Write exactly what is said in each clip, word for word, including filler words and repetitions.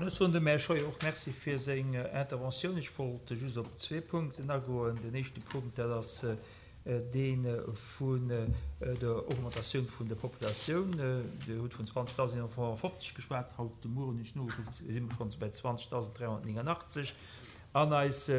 Ech soen dem Här Scheuer och Merci fir seng Interventioun. Ech wollt just op zwee Punkten agoen. Den éischte Punkt, dat ass dee vun der Augmentatioun vun der Populatioun. Dir hutt vun zwanzegdausendnonhonnertfofzeg geschwat. Haut de Mueren hunn ech nogekuckt, si mer schonns bei zwanzegdausend dräihonnertnéngangachtzeg. An eis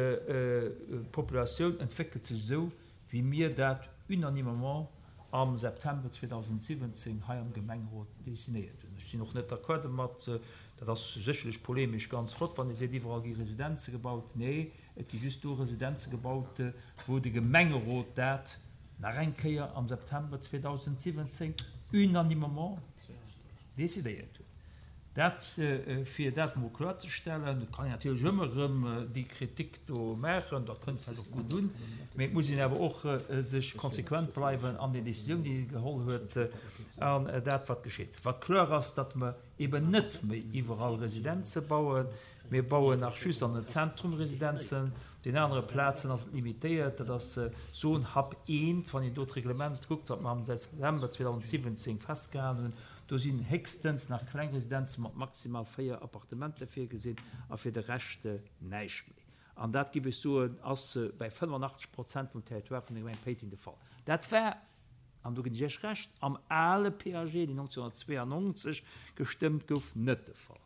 Populatioun entwéckelt sech esou, wéi mir dat unanimement am September zweedausendsiwwenzéng hei am Gemengerot decidéiert hunn. Ech sinn och net d'accord domat, dat ass sécherlech polemesch ganz flott, wann ee seet, iwwerall gi Residenze gebaut. Nee, et gi just do Residenze gebaut, wou de Gemengerot dat nach eng Kéier am September zweedausendsiwwenzéng unanimement decidéiert huet. Dat, fir dat emol kloerzestellen. Et kann een natierlech ëmmer erëm déi Kritik do maachen, dat kënnt vläicht och gutt un, mee et muss een awer och sech konsequent bleiwen an den Décisionen, déi ee geholl huet, an dat, wat geschitt. Wat kloer ass, datt mer eben net méi iwwerall Residenze bauen. Mir bauen nach just an den Zentrum Residenzen, op den anere Plazen ass et limitéiert. Dat ass Zone Hub eent, wann een do d'Reglement kuckt, wat mer am September zweedausendsiwwenzéng festgehalen hunn. Do sinn héchstens nach kleng Residenze mat maximal véier Appartementer virgesinn a fir de Rescht näischt méi. An dat, géif ech soen, ass bäi fënnefenachtzeg Prozent vum Territoire vun der Gemeng Péiteng de Fall. Dat war, an do ginn ech Iech Recht, am ale P A G, deen nonzénhonnertzweeanonzeg gestëmmt gouf, net de Fall.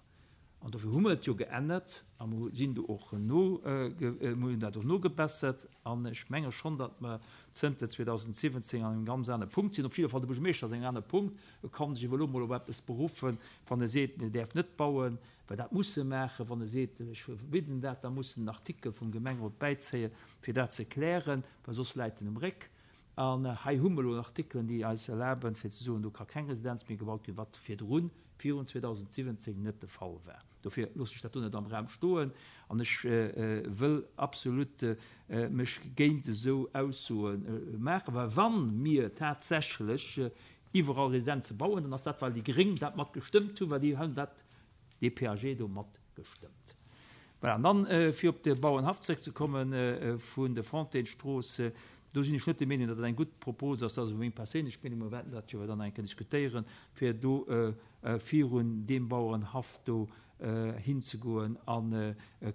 An dofir hu mer et jo geännert a mer sinn do och no, mer hunn dat och nogebessert. An ech menge schonn, datt mer zënter zweedausendsiwwenzéng an engem ganz anere Punkt sinn. Op jidde Fall de Buergermeeschter ass an engem anere Punkt. E ka sech ewell elo mol op eppes beruffen, wann e seet, mir däerf net bauen, well dat muss e maachen. Wann e seet, ech verbidden dat, da muss en en Artikel vum Gemengerot bäizéien, fir dat ze klären, well soss läit en um Réck. An hei hu mer elo Artikelen, déi eis erlaben, fir ze soen, do ka keng Residenz méi gebaut ginn, wat virdrun, virun zweedausendsiwwenzéng net de Fall war. Dofir loosse ech dat do net am Raum stoen an ech wëll absolut mech géint esou Aussoe maachen, well wa mir tatsächlech iwwerall Residenze bauen, dann ass dat, well déi Gréng dat mat gestëmmt hunn, well déi hunn dat, dee P A G do mat gestëmmt. Voilà, an dann, fir op de Bauernhaff zréckzekommen vun der Fontainestrooss, do sinn ech net der Meenung, datt dat eng gutt Propos ass. Dat ass meng perséinlech Meenung, mir wäerten dat jo dann eng Kéier diskutéieren, fir do virun deem Bauernhaff do hinzegoen a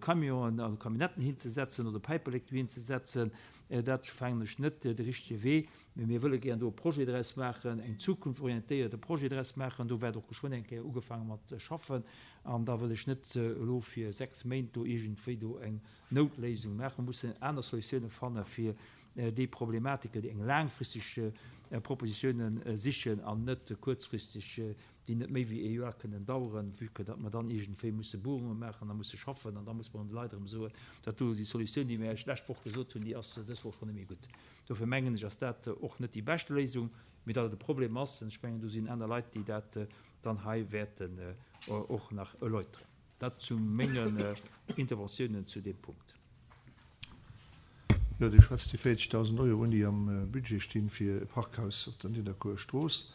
Camionen a Camionnetten hinzesetzen oder Päiperlek do hinzesetzen. Dat fannen ech net de richtege Wee. Mee mir wëlle gären do e Projet draus maachen, eng zukunftsorientéierte Projet draus maachen. Do wäert och geschwënn eng Kéier ugefaange mat schaffen. An da wëll ech net elo fir sechs Méint do iergendwéi do eng Noutléisung maachen. Mir mussen aner Solutiounen fanne fir déi Problematiken, déi eng laangfristeg Propositiounen sichen an net kuerzfristeg, déi net méi wéi ee Joer kënnen daueren, vue que datt mer dann iergendwéi musse Buerunge maachen a musse schaffen an da muss mer de Leit erëm soen, dat do déi Solutioun, déi mir Iech d'lescht Woch gesot hunn, déi ass dës Woch schonn net méi gutt. Dofir mengen ech, ass dat och net déi beschte Léisung, mee datt et e Problem ass, ech mengen, do sinn aner Leit, déi dat dann hei wäerten och nach erläuteren. Dat zu mengen Interventiounen zu deem Punkt. Jo, Dir schwätzt déi véierzegdausend Euro un, déi am Budget stinn fir e Parkhaus op der Nidderkuerer Strooss.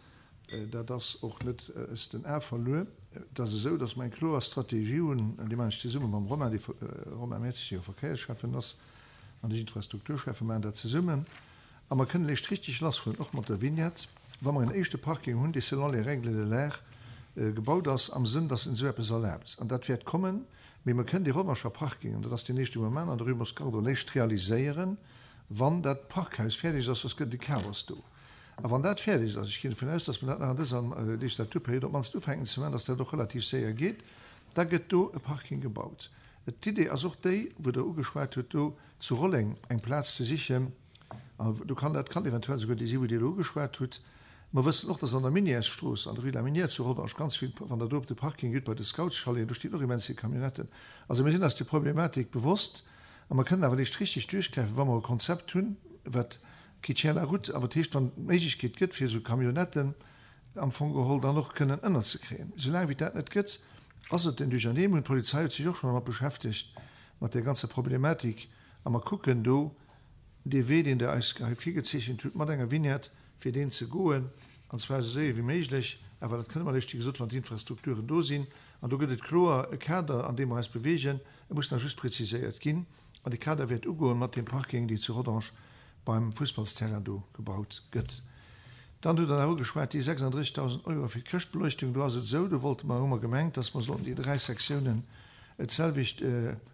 Dat ass och net aus den Ae verluer. Et ass esou, dass mer eng kloer Strategie hunn, an déi maachen ech zesumme mam Romain, dee Romain Mertzig, dee jo Verkéiersschäffen ass, an ech Infrastrukturschäffen, maachen dat zesummen. A mer kënnen eréischt richtig lassfueren, och mat der Vignette, wa mer en éischte Parking hunn, dee selon les règles de l'art gebaut ass, am Sënn, dass en esou eppes erlaabt. An dat wäert kommen. Mee mer kënnen dee Rodangerer Parking, an dat ass deen éischte, wou mer maachen, an der Rue Moscardo eréischt realiséieren, wann dat Parkhaus fäerdeg ass, soss gëtt et e Chaos do. A wann dat fäerdeg ass, ech ginn dovun aus, dass mer dat nach an dëser Legislaturperiod op d'mannst ufänken ze maachen, dass dat och relativ séier geet, da gëtt do e Parking gebaut. D'Idee ass och déi, wou Der ugeschwat hutt, do zu Rolleng eng Plaz ze sichen, an do kann dat kann eventuell souguer déi sinn, wou Dir elo ugeschwat hutt. Mer wëssen och, dass an der Minièresstrooss, an der Rue de la Minière zu Rodange ganz vill, wann Der do op de Parking gitt bei de Scoutschaleten, do stinn och immens vill Camionnetten. Also mir sinn eis där Problematik bewosst a mer kënnen awer eréischt richtig duerchgräifen, wa mer e Konzept hunn, wat qui tient la route, awer dat heescht, wann et d'Méiglechkeet gëtt, fir esou Camionnetten am Fong geholl dann och kënnen ënnerzekréien. Soulaang wéi dat net gëtt, ass et en Duerchernee. Mir hunn, d'Polizei huet sech och schonn domat beschäftegt, mat där ganzer Problematik, a mer kucken do dee Wee, deen Der eis hei virgezeechent hutt, mat enger Vignette, fir deen ze goen, an zwar esou séier wéi méiglech. Awer dat kënne mer eréischt, wéi gesot, wann d'Infrastrukturen do sinn. An do gëtt et kloer e Kader, an deem mer eis beweegen. E muss nach just preziséiert ginn. An dee Kader wäert ugoen mat deem Parking, deen zu Rodange beim Fussballsterrain do gebaut gëtt. Dann hutt Der nach ugeschwat déi sechsunddrëssigtausend Euro fir d'Chrëschtbeleuchtung. Do ass et esou, do wollte mer, hu mer gemengt, dass mer sollten déi dräi Sektiounen d'selwecht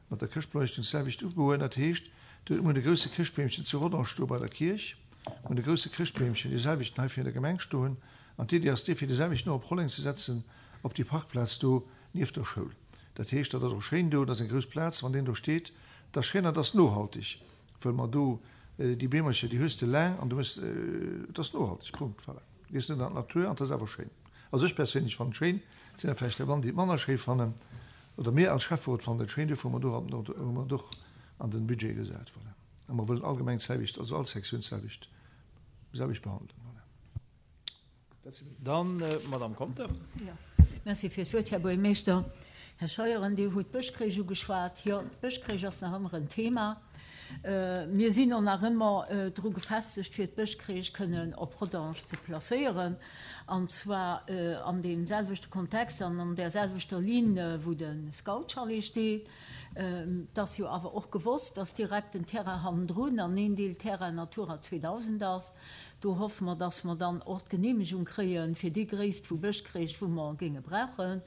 mat der Chrëschtbeleuchtung d'selwecht ugoen. Dat heescht, do huet mer e grouse Chrëschtbeemchen zu Rodange stoe bei der Kierch, mer hunn e grouse Chrëschtbeemchen, dee selwechten hei virun der Gemeng stoen, an d'Iddi ass déi, fir dee selwechten och op Rolleng ze setzen, op déi Parkplaz do nieft der Schoul. Dat heescht, dat ass och schéin do, dat ass eng grouss Plaz, wann deen do steet, dat ass schéin an dat ass nohaltig, wëll mer do déi Beemercher, déi hues de laang an du hues, et ass nohaltig, Punkt, voilà. Gees net an d'Natur an et ass awer schéin. Also ech perséinlech fannen et schéin, et sinn der vläicht der mann, déi et manner schéi fannen, oder mir als Schäfferot fannen et schéin, duerfir hu mer do, hu mer et och an den Budget gesat, voilà. A mer wëllen allgemeng d'selwecht, also all Sektioun d'selwecht, selwecht behandelen, voilà. Dann d'Madame Conter. Jo, merci fir d'Wuert, Här Buergermeeschter. Här Scheuren, Dir hutt d'Bëschcrèche ugeschwat. Jo, d'Bëschcrèche ass nach ëmmer en Thema. Mir sinn och nach ëmmer dru gefestegt, fir d'Bëschcrèche kënnen op Rodange ze placéieren, an zwar an deem selwechte Kontext an an där selwechter Linn, wou de Scoutchalet steet. Et ass jo awer och gewosst, dass direkt den Terrain hannendrun an een Deel Terrain Natura zweedausend ass. Do hoffe mer, dass mer dann och d'Genehmegung kréie fir déi Gréisst vu Bëschcrèche, wou mer géinge brauchen.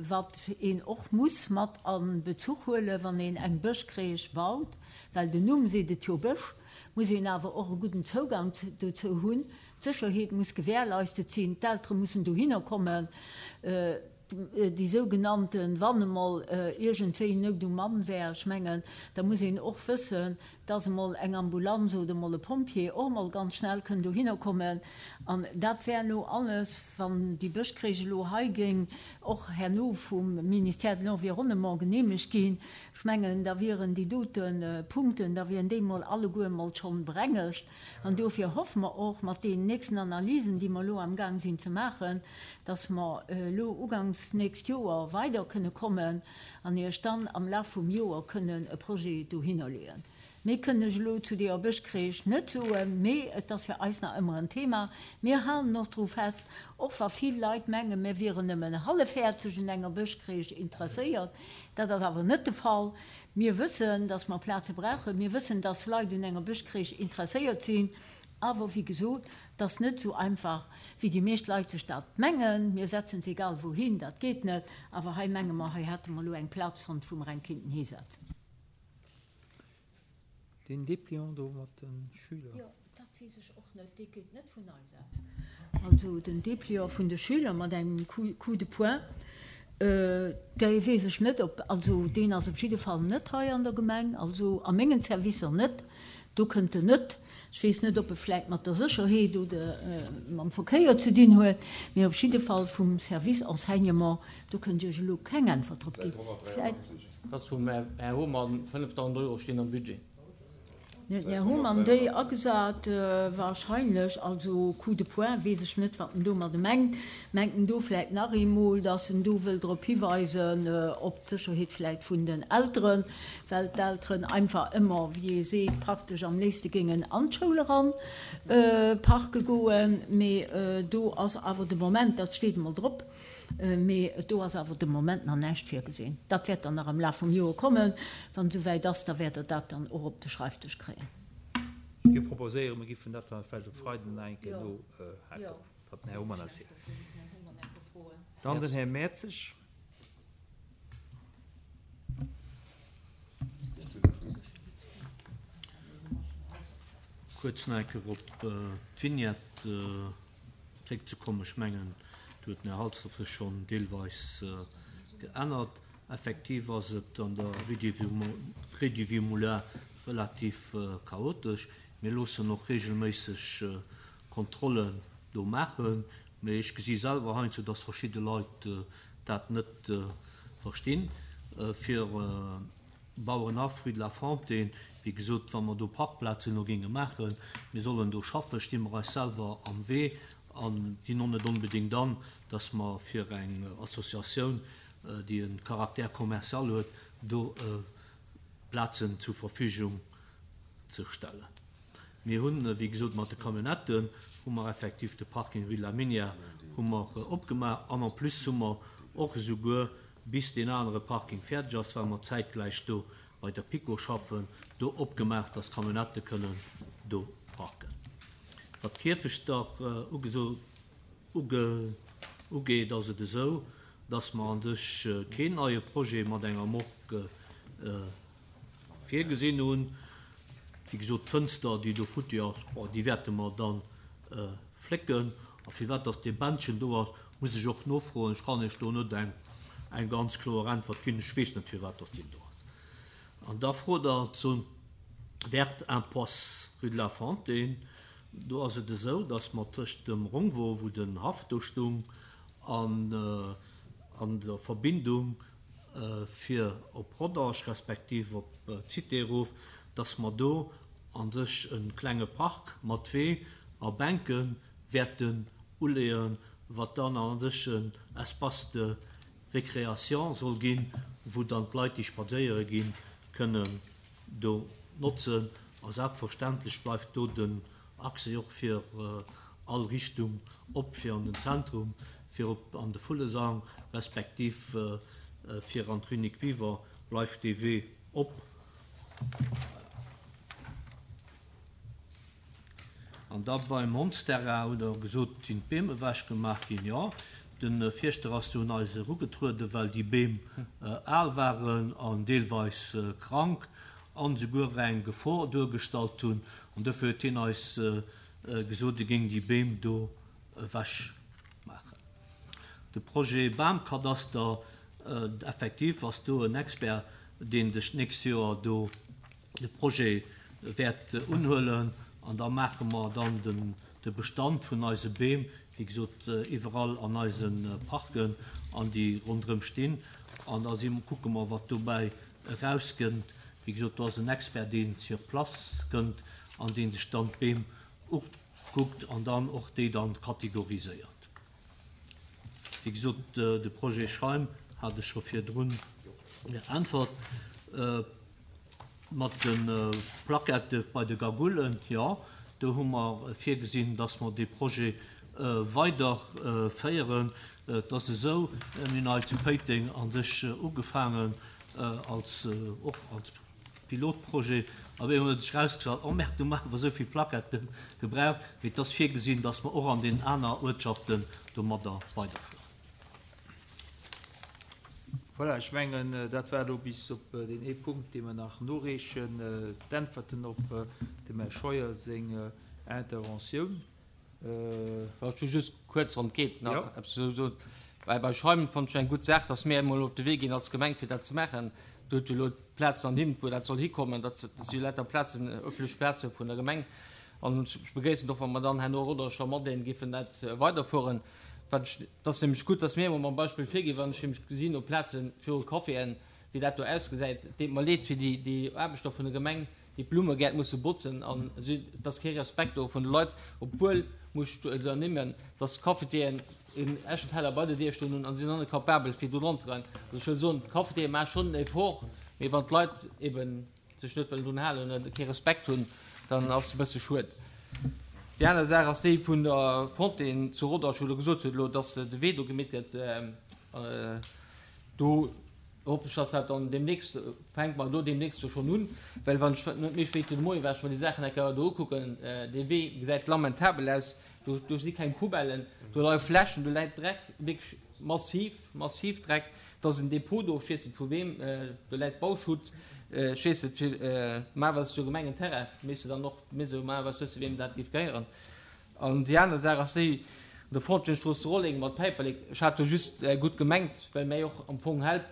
Wat een och muss mat a Bezuch huelen, wann een eng Bëschcrèche baut, well den Numm seet et jo, Bësch, muss een awer och e gudden Zougang dozou hunn. D'Sécherheet muss gewährleistet sinn, d'Eltere mussen dohinner kommen. Déi sougenannten, wann emol iergendwéi Nout um Mann wär, ech mengen, da muss een och wëssen, dass emol eng Ambulanz oder emol e Pompjee och emol ganz schnell kënn dohinner kommen. An dat wär elo alles, wann déi Bëschcrèche elo hei géing och herno vum Ministère de l'Environnement genehmegt ginn, ech mengen, da wieren déi dote Punkten, da wieren déi emol alleguer emol schonn berengegt. An dofir hoffe mer och mat deenen nächsten Analysen, déi mer elo amgaang sinn ze maachen, dass mer elo uganks nächst Joer weider kënne kommen an Iech dann am Laf vum Joer kënnen e Projet dohinnerleeën. Méi kënn ech elo zu deeër Bëschcrèche net soen, mee et ass fir eis nach ëmmer en Thema. Mir halen och dru fest, och wa vill Leit mengen, mir wieren nëmmen hallefhäerzeg un enger Bëschcrèche interesséiert. Dat ass awer net de Fall. Mir wëssen, dass mer Plaze brauchen. Mir wëssen, dass Leit un enger Bëschcrèche interesséiert sinn. Awer, wéi gesot, et ass net esou einfach, wéi déi meescht Leit sech dat mengen. Mir setzen se egal wouhin, dat geet net. Awer hei menge mer, hei hätte mer elo eng Plaz fonnt, wou mer eng kéinten hisetzen. Deen Dépliant do mat de Schüler. Jo, dat weess ech och net. Dee kënnt net vun eis aus. Also den Dépliant vun de Schüler mat engem Coup de poing, dee weess ech net, ob, also deen ass op jidde Fall net hei an der Gemeng, also a mengen Servicer net. Do kënnt en net. Ech weess net, ob e vläicht mat der Sécherheet oder mam Verkéier ze dinn huet, mee op jidde Fall vum Service Enseignement, do kënnt ech Iech elo keng Äntwert drop ginn. Vläicht. Ass vum Här Homann, fënnefdausend Euro stinn am Budget. Den Här Homann déi agesat, wahrscheinlech, also coup de poing, weess ech net, wat en domadde mengt. Mengt en do vläicht nach eemol, datt en do wëll drop hiweisen, op d'Sécherheet vläicht vun den Elteren, well d'Elteren einfach ëmmer, wéi ee seet, praktesch am léifste géingen an d'Schoul eran parke goen. Mee do ass awer de Moment, dat steet emol drop, Mee do ass awer de Moment nach näischt virgesinn. Dat wäert dann nach am Laf vum Joer kommen. Wann et esouwäit ass, da wäert Der dat dann och op de Schreifdësch kréien. Ech géif proposéieren, mir giffen dat dann vläicht op Freiden nach eng Kéier nohaken, wat den Här Homann eis seet. Dann den Här Mertzig. Kuerz nach eng Kéier op d'Vignette zréckzekommen. Ech mengen, do huet den Här Halsdorf sech schonn deelweis geännert. Effektiv ass et an der Rue du Vieux Moulin relativ chaotesch. Mir loossen och reegelméisseg Kontrollen do maachen, mee ech gesi selwer heiansdo, dass verschidde Leit dat net verstinn. Fir Bauerenhaff, Rue de la Fontaine, wéi gesot, wa mer do Parkplazen elo géinge maachen, mir sollen do schaffen, sti mer eis selwer am Wee a ginn och net onbedéngt an, dass mer fir eng Associatioun, déi e Caractère commercial huet, do Plazen zur Verfügung ze stellen. Mir hunn, wéi gesot, mat de Camionnetten hu mer effektiv de Parking Rue de la Minière hu mer opgemaach an en plus hu mer och esouguer, bis deen anere Parking fäerdeg ass, well mer zäitgläich do bei der PiKo schaffen, do opgemaach, dass d'Camionnettë kënnen do parken. Wat d'Kierfechter ugeet, ass et esou, dass mer an sech keen neie Projet mat enger Morgue virgesinn hunn. Wéi gesot, d'Fënster, déi do futti ass, déi wäerte mer dann flécken. A firwat dass dee Bändchen do ass, muss ech och nofroen. Ech kann Iech do net eng eng ganz kloer Äntwert ginn. Ech weess net, firwat dass deen do ass. An da frot Der zum Verte Impasse rue de la Fontaine. Do ass et esou, dass mer tëscht dem Rongwo, wou den Haff do stung, an an der Verbindung fir op Rodange respektiv op d'Cité erof, dass mer do a sech e klenge Park mat Wee a Bänke wäerten uleeën, wat dann a sech en Espace de récréation soll ginn, wou dann d'Leit, déi spadséiere ginn, kënnen do notzen. A selbstverständlech bleift do den Accès och fir all Richtung op, fir an den Zentrum, fir op an de Vullesang, respektiv fir an d'Rue Nic Biver bleift dee Wee op. An da beim Hondsterrain hutt Der gesot, sinn d'Beem ewechgemaach ginn. Jo, de Fierschter ass du un eis erugetrueden, well déi Beem al waren an deelweis krank an esouguer eng Gefor duergestallt hunn. An dofir huet hien eis gesot, e géing déi Beem do ewechmaachen. De Projet Bamkadaster, effektiv ass do en Expert, deen sech d'nächst Joer do de Projet wäert unhuelen. An da maache mer dann de Bestand vun eise Beem, wéi gesot, iwwerall an eise Parken an déi ronderëm stinn. An da si kucke mer, wat dobäi erauskënnt. Wéi gesot, do ass en Expert, deen sur place kënnt an deen sech dann d'Beem ukuckt an dann och déi dann kategoriséiert. Wéi gesot, de Projet Schreim hat ech scho virdrun geäntwert. Mat de Plaquette bei de Gagoulen, jo, do hu mer virgesinn, dass mer dee Projet weiderféieren. Et ass esou, mir hunn hei zu Péiteng a sech ugefaangen als, och als Pilotprojet, a wéi huet sech erausgestallt, oh merde, do maache mer esou vill Plaquetten gebraucht. Mee et ass virgesinn, dass mer och an den aner Uertschaften domadder weiderfueren. Voilà, ech mengen, dat war elo bis op deen ee Punkt, dee mer nach noreechen, d'Äntwerten op dem Här Scheuer seng Interventioun. Ech hu just kuerz, wann et geet, nach eppes ze soen. Well bei Schreiben fonnt ech eng gutt Saach, dass mir emol op de Wee ginn als Gemeng, fir dat ze maachen. Do huet jo elo d'Plazen ernimmt, wou dat soll hikommen. Dat si jo lauter Plazen, öffentlech Plaze vun der Gemeng. An ech begréissen et och, wa mer dann herno Rodange da matdeelen, géifen dat weiderfueren. Wat ech, et ass nämlech gutt, dass mir emol mam Beispill virginn, wann ech nämlech gesinn op Plaze viru Caféen, wéi dat do ausgesäit. Et deet mer leed fir déi, déi Aarbechter vun der Gemeng, déi d'Blummegäert musse botzen an esou. Et ass kee Respekt do vun de Leit, obwuel, muss ech do ernimmen, dass d'Cafetieren en Eschenteller bei der Dier stoen hunn an si sinn och net capabel, fir do dran ze goen. Also ech wëll soen, d'Cafetiere maache schonn en Effort, mee wann d'Leit eben sech net wëllen drun halen oder kee Respekt hunn, dann ass et e bësse schued. Déi aner Saach ass déi vun der Fontaine zu Rodange, wou Der gesot hutt elo, dass de Wee do gemeet gëtt. Do hoffen ech, dass dat dann deemnächst, fänke mer do deemnächst jo schonn un, well wann ech net méi spéit wéi de Moie war ech mer déi Saachen eng Kéier do ukucken, dee Wee gesäit lamentabel aus, do, do si keng Poubellen, do leie Fläschen, do läit Dreck, wierklech massiv, massiv Dreck. Et ass en Depot do, ech weess net vu weem, do läit Bauschutt, ech weess net, fir, mä awer ass jo Gemengenterrain, misste dann och, misste jo awer wësse weem dat géif gehéieren. An déi aner Saach ass déi, an der Frontenstrooss zu Rolleng mat Päiperlek, ech hat do just gutt gemengt, well mir och am Fong Help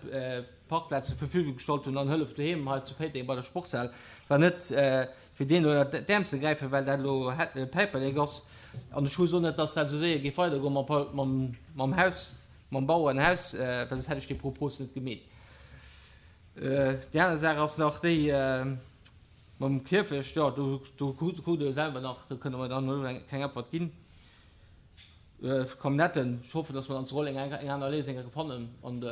Parkplaz zur Verfügung gestallt hunn an Hëllef doheem hei zu Péiteng bei der Sportshal, war net fir deen elo ënnert d'Äerm ze gräifen, well dat elo Päiperlek ass. An ech wosst och net, dass dat esou séier géif weidergoen mam, mam Haus, mam Bauerenhaus, well soss hätt ech déi Propos net gemeet. Déi aner Saach ass nach déi mam Kierfecht, jo, do, do krut Der jo selwer nach, do kënne mer dann elo keng Äntwert ginn. Camionnette, ech hoffen, dass mer dann zu Rolleng eng, eng aner Léisung enke fannen, an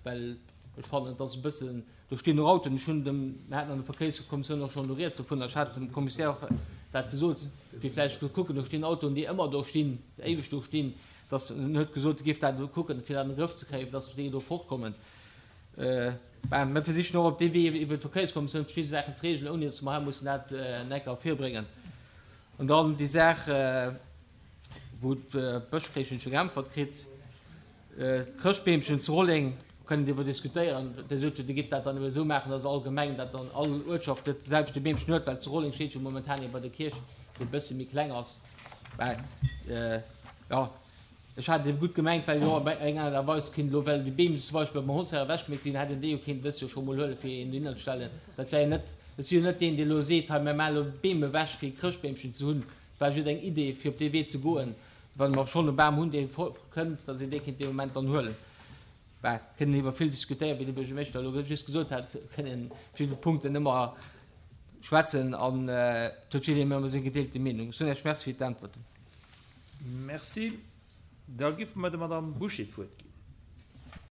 well ech fannen, et ass e bëssen, do stinn och Autoen, ech hunn dem, mir haten an der Verkéierskommissioun och schonn do rieds dovun, ech hat dem Commissaire och dat gesot, fir vläicht ze kucken, do stinn Autoen, déi ëmmer do stinn, éiweg do stinn, dass en huet gesot, e géif dat elo kucken, fir dat an de Grëff ze kréien, dass déi do fortkommen. Ben, mir versichen och op dee Wee iwwer d'Verkéierskommissioun verschidde Saachen ze regelen, ouni dass mer hei mussen dat en Eck ervirbréngen. An dann déi Saach, wou d'Bëschkréischen scho geäntwert kritt, d'Chrëschtbeemchen zu Rolleng, kënnen driwwer diskutéieren. Dir sot jo, Dir giff dat dann ebe esou maachen, dass all Gemeng dat dann, all Uertschaft dat selwechte Beemchen huet, well zu Rolleng steet jo momentan ee bei der Kierch, dee e bësse méi kleng ass. Mä jo, ech hat et ebe gutt gemengt, well jo op eng Aart a Weis kinnt elo, well déi Beem zum Beispill beim Hosser ewechgeméit ginn, hätt een déi jo kinnt dës Joer scho mol huelen, fir een dohinner ze stellen. Dat wär jo net, ech si jo net deen, dee elo seet, hei mir maachen elo Beem ewech, fir e Chrëschtbeemchen ze hunn. Et war just eng Idee, fir op dee Wee ze goen, wa mer schonn e Bam hunn, dee kënnt, dass een dee kinnt dee Moment dann huelen. Bah, kënnen iwwer vill diskutéieren, wéi de Buergermeeschter elo just gesot hat, kënnen vill Punkten ëmmer schwätzen an et huet jiddereen ëmmer seng gedeelte Meenung. Ech soen Iech Merci fir d'Äntwerten. Merci. Da géife mer der Madamm Bouché d'Wuert ginn.